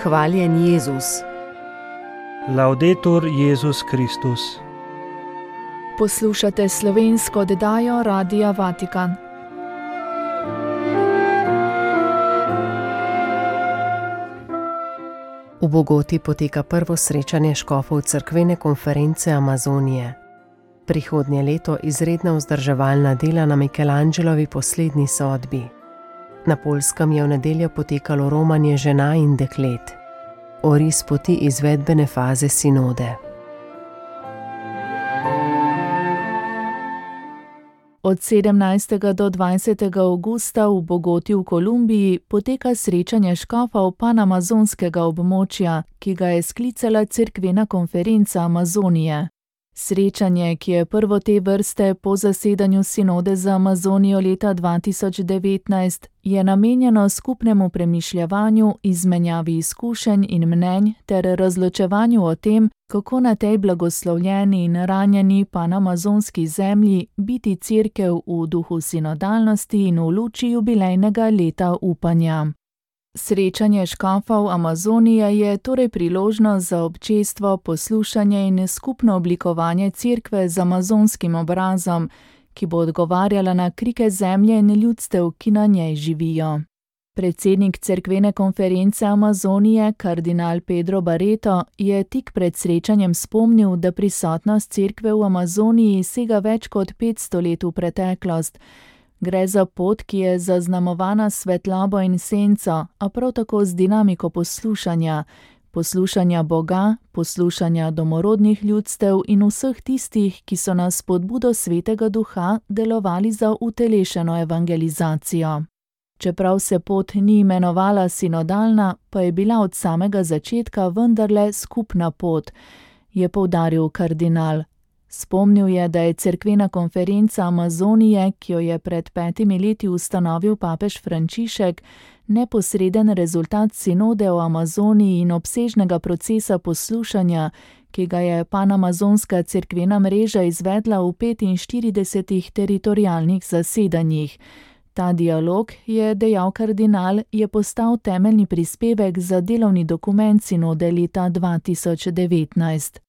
Hvaljen Jezus. Laudetur Jezus Kristus. Poslušate slovensko oddajo Radia Vatikan. V Bogoti poteka prvo srečanje škofov cerkvene konference Amazonije. Prihodnje leto izredna vzdrževalna dela na Michelangelovi poslednji sodbi. Na Poljskem je v nedeljo potekalo romanje žena in deklet. Oris poti izvedbene faze sinode. Od 17. do 20. avgusta v Bogoti v Kolumbiji poteka srečanje škofov panamazonskega območja, ki ga je sklicala cerkvena konferenca Amazonije. Srečanje, ki je prvo te vrste po zasedanju sinode za Amazonijo leta 2019, je namenjeno skupnemu premišljevanju, izmenjavi izkušenj in mnenj ter razločevanju o tem, kako na tej blagoslovljeni in ranjeni panamazonski zemlji biti cerkev v duhu sinodalnosti in v luči jubilejnega leta upanja. Srečanje škofov Amazonije je torej priložnost za občestvo, poslušanje in skupno oblikovanje cerkve z amazonskim obrazom, ki bo odgovarjala na krike zemlje in ljudstev, ki na njej živijo. Predsednik cerkvene konference Amazonije, kardinal Pedro Barreto, je tik pred srečanjem spomnil, da prisotnost cerkve v Amazoniji sega več kot 500 let v preteklost. Gre za pot, ki je zaznamovana s svetlobo in senco, a prav tako z dinamiko poslušanja Boga, poslušanja domorodnih ljudstev in vseh tistih, ki so na spodbudo Svetega Duha delovali za utelešeno evangelizacijo. Čeprav se pot ni imenovala sinodalna, pa je bila od samega začetka vendarle skupna pot, je poudaril kardinal. Spomnil je, da je cerkvena konferenca Amazonije, ki jo je pred 5 leti ustanovil papež Frančišek, neposreden rezultat sinode o Amazoniji in obsežnega procesa poslušanja, ki ga je panamazonska cerkvena mreža izvedla v 45 teritorialnih zasedanjih. Ta dialog, je dejal kardinal, je postal temeljni prispevek za delovni dokument sinode leta 2019.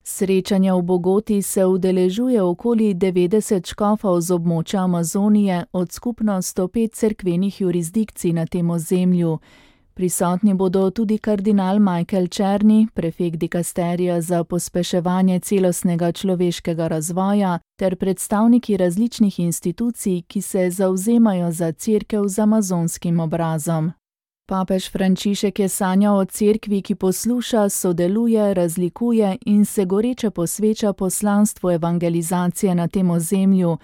Srečanja v Bogoti se udeležuje okoli 90 škofov z območja Amazonije od skupno 105 cerkvenih jurisdikcij na tem ozemlju. Prisotni bodo tudi kardinal Michael Czerny, prefekt dikasterija za pospeševanje celostnega človeškega razvoja, ter predstavniki različnih institucij, ki se zavzemajo za cerkev z amazonskim obrazom. Papež Frančišek je sanjal o cerkvi, ki posluša, sodeluje, razlikuje in se goreče posveča poslanstvu evangelizacije na tem ozemlju,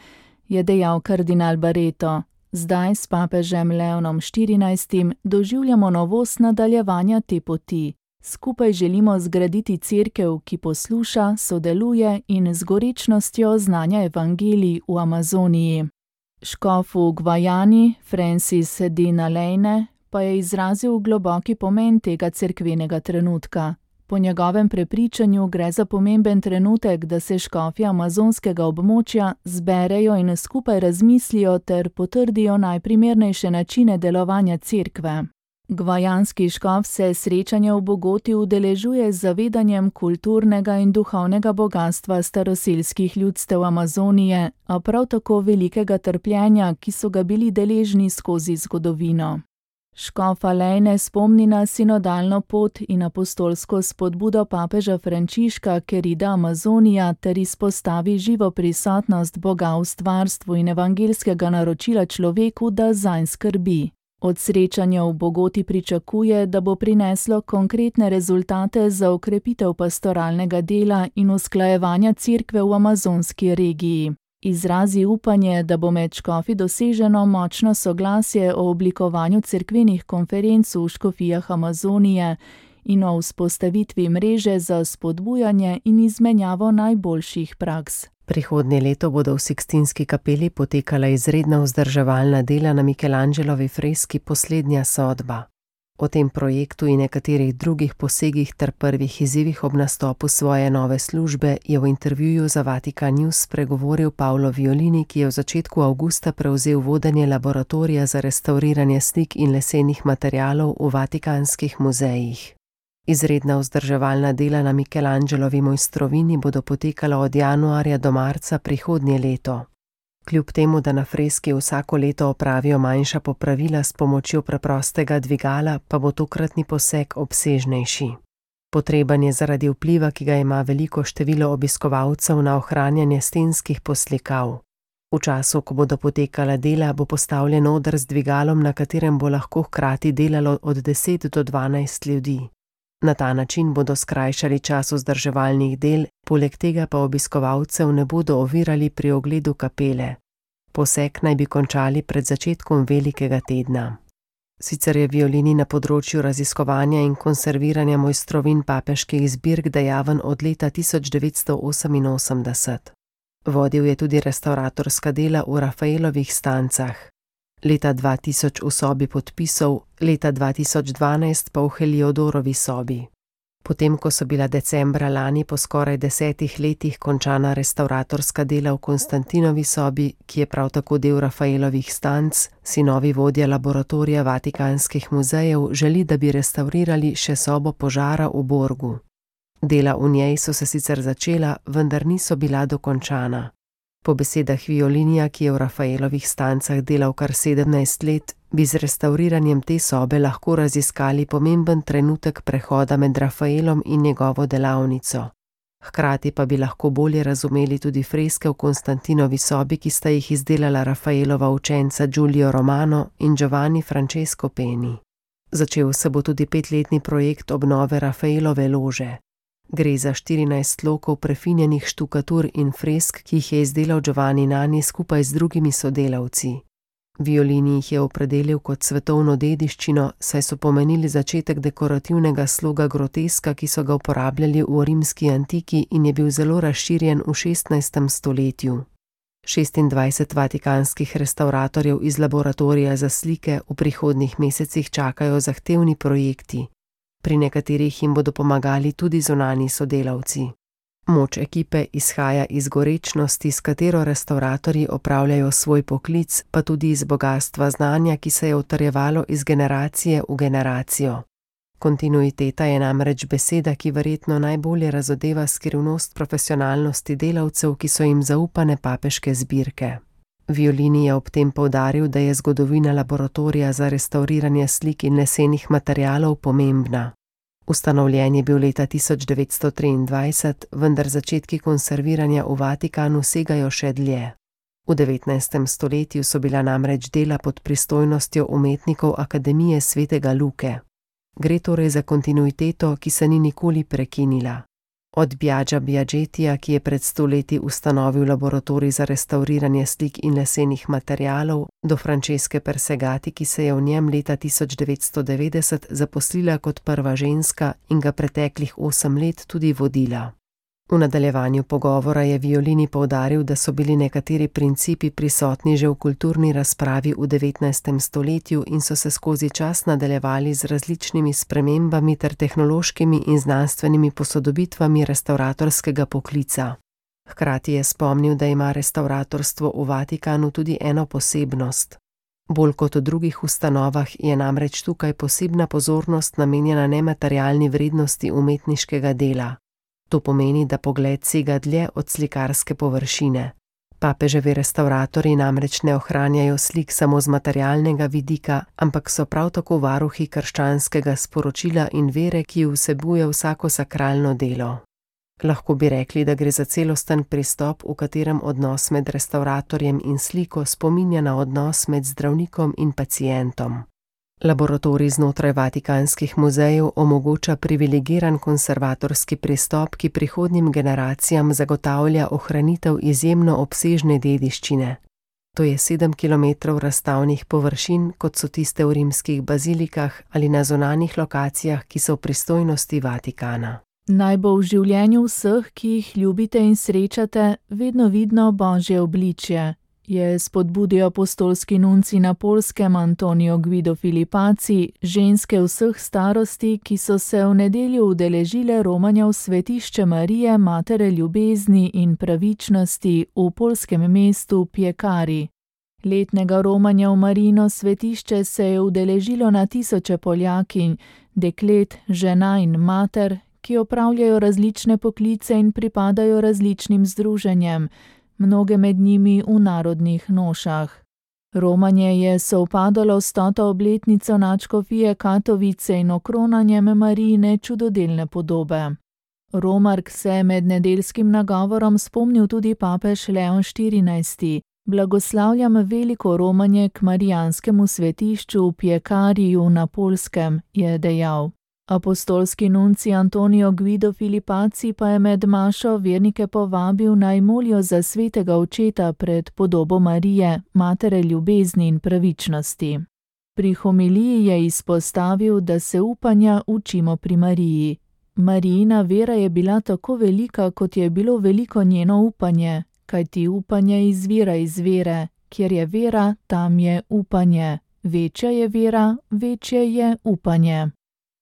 je dejal kardinal Barreto. Zdaj s papežem Leonom XIV doživljamo novost nadaljevanja te poti. Skupaj želimo zgraditi cerkev, ki posluša, sodeluje in z gorečnostjo oznanja evangelij v Amazoniji. Škof v Gvajani, Francis Dina Lejne, pa je izrazil globoki pomen tega cerkvenega trenutka. Po njegovem prepričanju gre za pomemben trenutek, da se škofje amazonskega območja zberejo in skupaj razmislijo ter potrdijo najprimernejše načine delovanja cerkve. Gvajanski škof se srečanja v Bogoti udeležuje z zavedanjem kulturnega in duhovnega bogastva staroselskih ljudstev Amazonije, a prav tako velikega trpljenja, ki so ga bili deležni skozi zgodovino. Škof Lejne spomni na sinodalno pot in apostolsko spodbudo papeža Frančiška Querida Amazonija ter izpostavi živo prisotnost Boga v stvarstvu in evangelskega naročila človeku, da zanj skrbi. Od srečanja v Bogoti pričakuje, da bo prineslo konkretne rezultate za okrepitev pastoralnega dela in usklajevanja cerkve v amazonski regiji. Izrazi upanje, da bo med škofi doseženo močno soglasje o oblikovanju cerkvenih konferenc v škofijah Amazonije in o vzpostavitvi mreže za spodbujanje in izmenjavo najboljših praks. Prihodnje leto bodo v Sikstinski kapeli potekala izredna vzdrževalna dela na Michelangelovi freski Poslednja sodba. O tem projektu in nekaterih drugih posegih ter prvih izzivih ob nastopu svoje nove službe je v intervjuju za Vatikan News spregovoril Paolo Violini, ki je v začetku avgusta prevzel vodenje laboratorija za restavriranje slik in lesenih materialov v vatikanskih muzejih. Izredna vzdrževalna dela na Michelangelovi mojstrovini bodo potekala od januarja do marca prihodnje leto. Kljub temu, da na freski vsako leto opravijo manjša popravila s pomočjo preprostega dvigala, pa bo tokratni poseg obsežnejši. Potreben je zaradi vpliva, ki ga ima veliko število obiskovalcev na ohranjanje stenskih poslikav. V času, ko bodo potekala dela, bo postavljen oder z dvigalom, na katerem bo lahko hkrati delalo od 10 do 12 ljudi. Na ta način bodo skrajšali čas vzdrževalnih del, poleg tega pa obiskovalcev ne bodo ovirali pri ogledu kapele. Poseg naj bi končali pred začetkom velikega tedna. Sicer je Violini na področju raziskovanja in konserviranja mojstrovin papeških zbirk dejaven od leta 1988. Vodil je tudi restavratorska dela v Rafaelovih stancah. Leta 2000 v sobi podpisov, leta 2012 pa v Heliodorovi sobi. Potem, ko so bila decembra lani po skoraj 10 letih končana restavratorska dela v Konstantinovi sobi, ki je prav tako del Rafaelovih stanc, si novi vodja laboratorija Vatikanskih muzejev želi, da bi restavrirali še sobo požara v Borgu. Dela v njej so se sicer začela, vendar niso bila dokončana. Po besedah Violinija, ki je v Rafaelovih stancah delal kar 17 let, bi z restauriranjem te sobe lahko raziskali pomemben trenutek prehoda med Rafaelom in njegovo delavnico. Hkrati pa bi lahko bolje razumeli tudi freske v Konstantinovi sobi, ki sta jih izdelala Rafaelova učenca Giulio Romano in Giovanni Francesco Peni. Začel se bo tudi 5-letni projekt obnove Rafaelove lože. Gre za 14 lokov prefinjenih štukatur in fresk, ki jih je izdelal Giovanni Nani skupaj z drugimi sodelavci. Violini jih je opredelil kot svetovno dediščino, saj so pomenili začetek dekorativnega sloga groteska, ki so ga uporabljali v rimski antiki in je bil zelo razširjen v 16. stoletju. 26 vatikanskih restavratorjev iz laboratorija za slike v prihodnjih mesecih čakajo zahtevni projekti. Pri nekaterih jim bodo pomagali tudi zunanji sodelavci. Moč ekipe izhaja iz gorečnosti, s katero restavratorji opravljajo svoj poklic, pa tudi iz bogastva znanja, ki se je utrjevalo iz generacije v generacijo. Kontinuiteta je namreč beseda, ki verjetno najbolje razodeva skrivnost profesionalnosti delavcev, ki so jim zaupane papeške zbirke. Violini je ob tem poudaril, da je zgodovina laboratorija za restavriranje slik in lesenih materialov pomembna. Ustanovljen je bil leta 1923, vendar začetki konserviranja v Vatikanu segajo še dlje. V 19. stoletju so bila namreč dela pod pristojnostjo umetnikov Akademije svetega Luke. Gre torej za kontinuiteto, ki se ni nikoli prekinila. Od Biaggia Biaggetija, ki je pred 100 leti ustanovil laboratorij za restavriranje slik in lesenih materialov, do Francesche Persegati, ki se je v njem leta 1990 zaposlila kot prva ženska in ga preteklih 8 let tudi vodila. V nadaljevanju pogovora je Violini poudaril, da so bili nekateri principi prisotni že v kulturni razpravi v 19. stoletju in so se skozi čas nadaljevali z različnimi spremembami ter tehnološkimi in znanstvenimi posodobitvami restavratorskega poklica. Hkrati je spomnil, da ima restavratorstvo v Vatikanu tudi eno posebnost. Bolj kot v drugih ustanovah je namreč tukaj posebna pozornost namenjena nematerialni vrednosti umetniškega dela. To pomeni, da pogled sega dlje od slikarske površine. Papeževi restavratorji namreč ne ohranjajo slik samo z materialnega vidika, ampak so prav tako varuhi krščanskega sporočila in vere, ki vsebuje vsako sakralno delo. Lahko bi rekli, da gre za celosten pristop, v katerem odnos med restavratorjem in sliko spominja na odnos med zdravnikom in pacientom. Laboratorij znotraj Vatikanskih muzejev omogoča privilegiran konservatorski pristop, ki prihodnjim generacijam zagotavlja ohranitev izjemno obsežne dediščine. To je 7 km razstavnih površin, kot so tiste v rimskih bazilikah ali na zunanjih lokacijah, ki so v pristojnosti Vatikana. Naj bo v življenju vseh, ki jih ljubite in srečate, vedno vidno Božje obličje, je spodbudil apostolski nuncij na Poljskem Antonio Guido Filipaci, ženske vseh starosti, ki so se v nedeljo udeležile romanja v svetišče Marije, matere ljubezni in pravičnosti v poljskem mestu Piekari. Letnega romanja v Marijino svetišče se je udeležilo na tisoče Poljakinj, deklet, žena in mater, ki opravljajo različne poklice in pripadajo različnim združenjem, mnoge med njimi v narodnih nošah. Romanje je sovpadalo s 100. obletnico nadškofije Katovice in okronanjem Marijine čudodelne podobe. Romark se je med nedeljskim nagovorom spomnil tudi papež Leon XIV. Blagoslavljam veliko romanje k marijanskemu svetišču v Piekariju na Poljskem, je dejal. Apostolski nuncij Antonio Guido Filipacci pa je med mašo vernike povabil naj molijo za svetega očeta pred podobo Marije, matere ljubezni in pravičnosti. Pri homiliji je izpostavil, da se upanja učimo pri Mariji. Marijina vera je bila tako velika, kot je bilo veliko njeno upanje, kajti upanje izvira iz vere, kjer je vera, tam je upanje. Večja je vera, večje je upanje.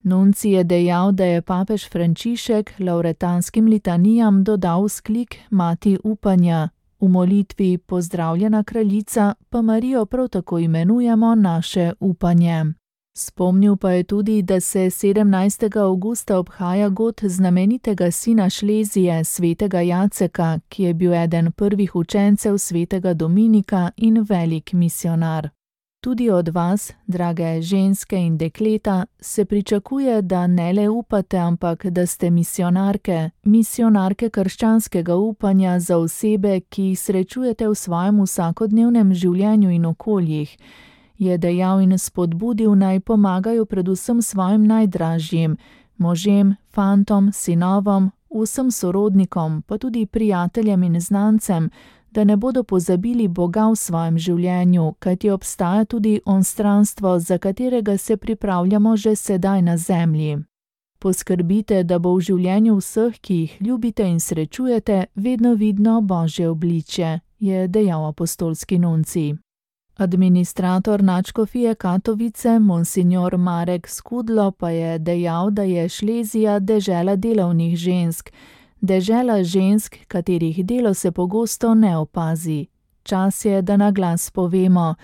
Nuncij je dejal, da je papež Frančišek lauretanskim litanijam dodal vzklik Mati upanja. V molitvi Pozdravljena kraljica pa Marijo prav tako imenujemo naše upanje. Spomnil pa je tudi, da se 17. avgusta obhaja god znamenitega sina Šlezije, svetega Jaceka, ki je bil eden prvih učencev svetega Dominika in velik misionar. Tudi od vas, drage ženske in dekleta, se pričakuje, da ne le upate, ampak da ste misionarke krščanskega upanja za osebe, ki jih srečujete v svojem vsakodnevnem življenju in okoljih, je dejal in spodbudil naj pomagajo predvsem svojim najdražjim, možem, fantom, sinovom, vsem sorodnikom, pa tudi prijateljem in znancem, da ne bodo pozabili Boga v svojem življenju, kajti obstaja tudi onstranstvo, za katerega se pripravljamo že sedaj na zemlji. Poskrbite, da bo v življenju vseh, ki jih ljubite in srečujete, vedno vidno Božje obličje, je dejal apostolski nuncij. Administrator nadškofije Katovice, monsignor Marek Skudlo, pa je dejal, da je Šlezija dežela delavnih žensk, dežela žensk, katerih delo se pogosto ne opazi. Čas je, da na glas povemo,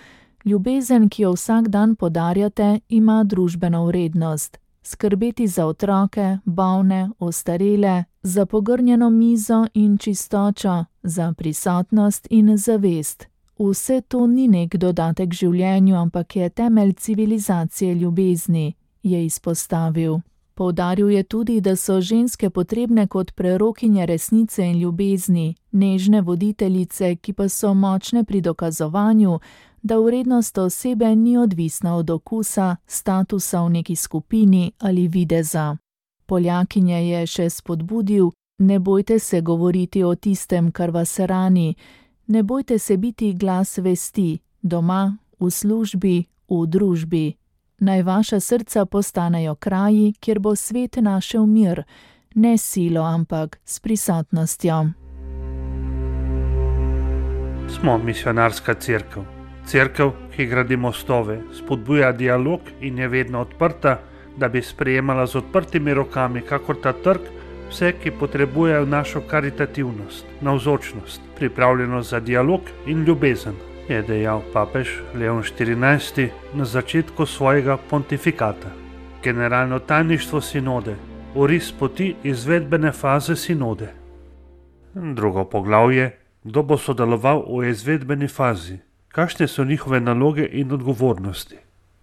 ljubezen, ki jo vsak dan podarjate, ima družbeno vrednost. Skrbeti za otroke, bolne, ostarele, za pogrnjeno mizo in čistočo, za prisotnost in zavest. Vse to ni nek dodatek življenju, ampak je temelj civilizacije ljubezni, je izpostavil. Poudaril je tudi, da so ženske potrebne kot prerokinje resnice in ljubezni, nežne voditeljice, ki pa so močne pri dokazovanju, da vrednost osebe ni odvisna od okusa, statusa v neki skupini ali videza. Poljakinje je še spodbudil, ne bojte se govoriti o tistem, kar vas rani, ne bojte se biti glas vesti, doma, v službi, v družbi. Naj vaša srca postanejo kraji, kjer bo svet našel mir, ne silo, ampak s prisotnostjo. Smo misionarska cerkev. Cerkev, ki gradi mostove, spodbuja dialog in je vedno odprta, da bi sprejemala z odprtimi rokami, kakor ta trg, vse, ki potrebujejo našo karitativnost, navzočnost, pripravljenost za dialog in ljubezen, je dejal papež Leon XIV na začetku svojega pontifikata. Generalno tajništvo sinode, oris poti izvedbene faze sinode. Drugo poglavje, kdo bo sodeloval v izvedbeni fazi, kakšne so njihove naloge in odgovornosti.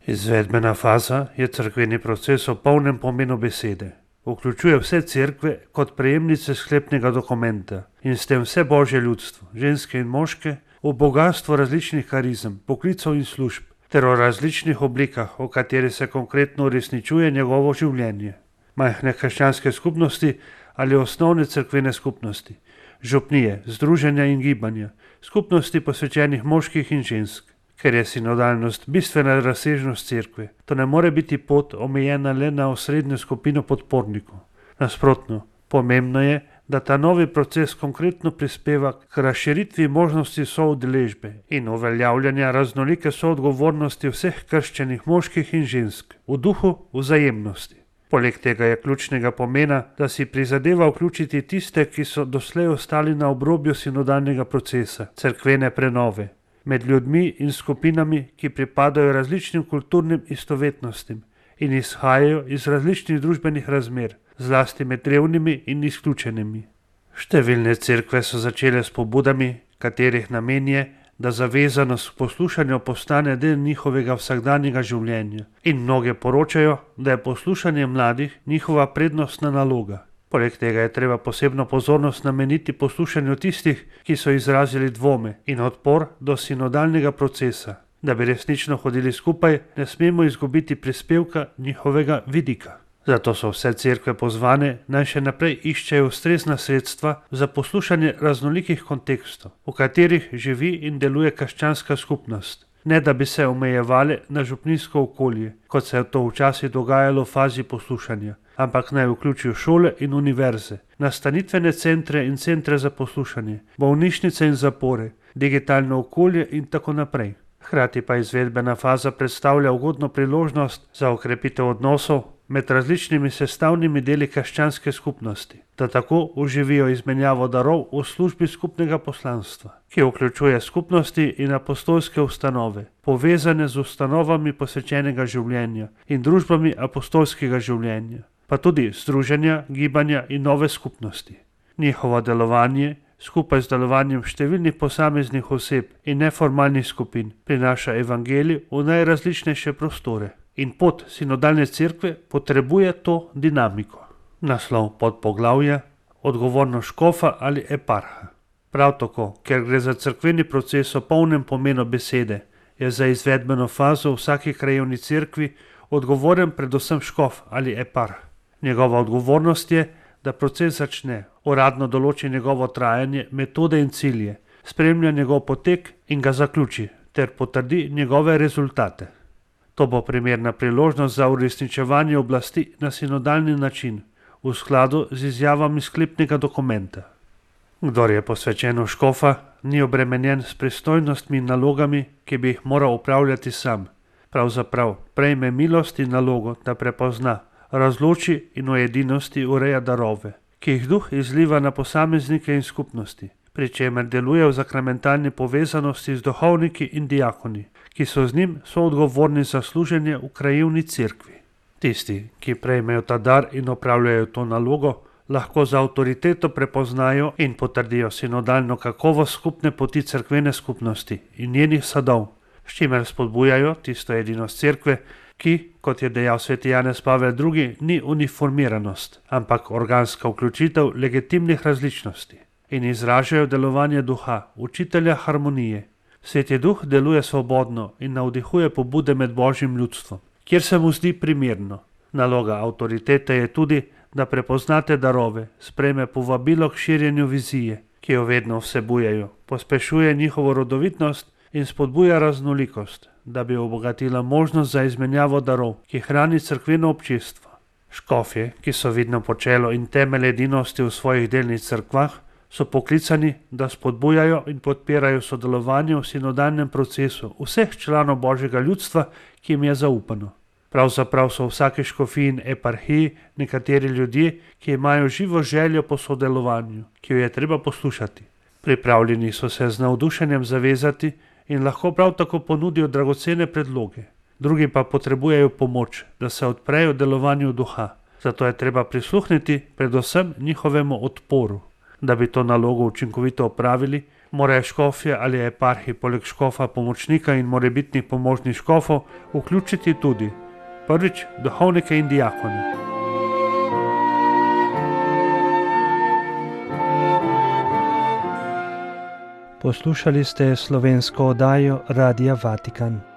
Izvedbena faza je cerkveni proces v polnem pomenu besede. Vključuje vse cerkve kot prejemnice sklepnega dokumenta in s tem vse Božje ljudstvo, ženske in moške, v bogatstvo različnih karizem, poklicov in služb, ter o različnih oblikah, v kateri se konkretno uresničuje njegovo življenje. Majhne krščanske skupnosti ali osnovne cerkvene skupnosti, župnije, združenja in gibanja, skupnosti posvečenih moških in žensk. Ker je sinodalnost bistvena razsežnost cerkve, to ne more biti pot omejena le na osrednjo skupino podpornikov. Nasprotno, pomembno je, da ta novi proces konkretno prispeva k razširitvi možnosti soudeležbe in uveljavljanja raznolike soodgovornosti vseh krščenih moških in žensk v duhu vzajemnosti. Poleg tega je ključnega pomena, da si prizadeva vključiti tiste, ki so doslej ostali na obrobju sinodalnega procesa, cerkvene prenove, med ljudmi in skupinami, ki pripadajo različnim kulturnim istovetnostim in izhajajo iz različnih družbenih razmer, zlasti med revnimi in izključenimi. Številne cerkve so začele s pobudami, katerih namen je, da zavezanost k poslušanju postane del njihovega vsakdanjega življenja, in mnoge poročajo, da je poslušanje mladih njihova prednostna naloga. Poleg tega je treba posebno pozornost nameniti poslušanju tistih, ki so izrazili dvome in odpor do sinodalnega procesa. Da bi resnično hodili skupaj, ne smemo izgubiti prispevka njihovega vidika. Zato so vse cerkve pozvane, naj še naprej iščejo ustrezna sredstva za poslušanje raznolikih kontekstov, v katerih živi in deluje krščanska skupnost, ne da bi se omejevale na župnijsko okolje, kot se je to včasih dogajalo v fazi poslušanja, ampak naj vključijo šole in univerze, nastanitvene centre in centre za poslušanje, bolnišnice in zapore, digitalno okolje in tako naprej. Hkrati pa izvedbena faza predstavlja ugodno priložnost za okrepitev odnosov med različnimi sestavnimi deli krščanske skupnosti, da tako oživijo izmenjavo darov v službi skupnega poslanstva, ki vključuje skupnosti in apostolske ustanove, povezane z ustanovami posvečenega življenja in družbami apostolskega življenja, pa tudi združenja, gibanja in nove skupnosti. Njihovo delovanje skupaj z delovanjem številnih posameznih oseb in neformalnih skupin prinaša evangelij v najrazličnejše prostore. In pot sinodalne cerkve potrebuje to dinamiko. Naslov podpoglavja: odgovornost škofa ali eparha. Prav tako, ker gre za cerkveni proces v polnem pomenu besede, je za izvedbeno fazo v vsaki krajevni cerkvi odgovoren predvsem škof ali eparh. Njegova odgovornost je, da proces začne, uradno določi njegovo trajanje, metode in cilje, spremlja njegov potek in ga zaključi, ter potrdi njegove rezultate. To bo primerna priložnost za uresničevanje oblasti na sinodalni način, v skladu z izjavami sklepnega dokumenta. Kdor je posvečen v škofa, ni obremenjen s pristojnostmi in nalogami, ki bi jih moral upravljati sam. Pravzaprav prejme milost in nalogo, da prepozna, razloči in v edinosti ureja darove, ki jih duh izliva na posameznike in skupnosti, pri čemer deluje v sakramentalni povezanosti z duhovniki in diakoni, ki so z njim soodgovorni za služenje v krajevni cerkvi. Tisti, ki prejmejo ta dar in opravljajo to nalogo, lahko z avtoriteto prepoznajo in potrdijo sinodalno kakovost skupne poti cerkvene skupnosti in njenih sadov, s čimer spodbujajo tisto edinost cerkve, ki, kot je dejal sveti Janez Pavel II, ni uniformiranost, ampak organska vključitev legitimnih različnosti in izražajo delovanje duha, učitelja harmonije. Sveti duh deluje svobodno in navdihuje pobude med božjim ljudstvom, kjer se mu zdi primerno. Naloga avtoritete je tudi, da prepoznate darove, sprejme povabilo k širjenju vizije, ki jo vedno vsebujejo, pospešuje njihovo rodovitnost in spodbuja raznolikost, da bi obogatila možnost za izmenjavo darov, ki hrani cerkveno občestvo. Škofje, ki so vidno počelo in temelj edinosti v svojih delnih cerkvah, so poklicani, da spodbujajo in podpirajo sodelovanje v sinodalnem procesu vseh članov božjega ljudstva, ki jim je zaupano. Pravzaprav so v vsaki škofiji in eparhiji nekateri ljudje, ki imajo živo željo po sodelovanju, ki jo je treba poslušati. Pripravljeni so se z navdušenjem zavezati in lahko prav tako ponudijo dragocene predloge. Drugi pa potrebujejo pomoč, da se odprejo delovanju duha. Zato je treba prisluhniti predvsem njihovemu odporu. Da bi to nalogo učinkovito opravili, morajo škofje ali eparhi poleg škofa pomočnika in morebitnih pomožnih škofov vključiti tudi: prvič, duhovnike in diakone. Poslušali ste slovensko oddajo Radia Vatikan.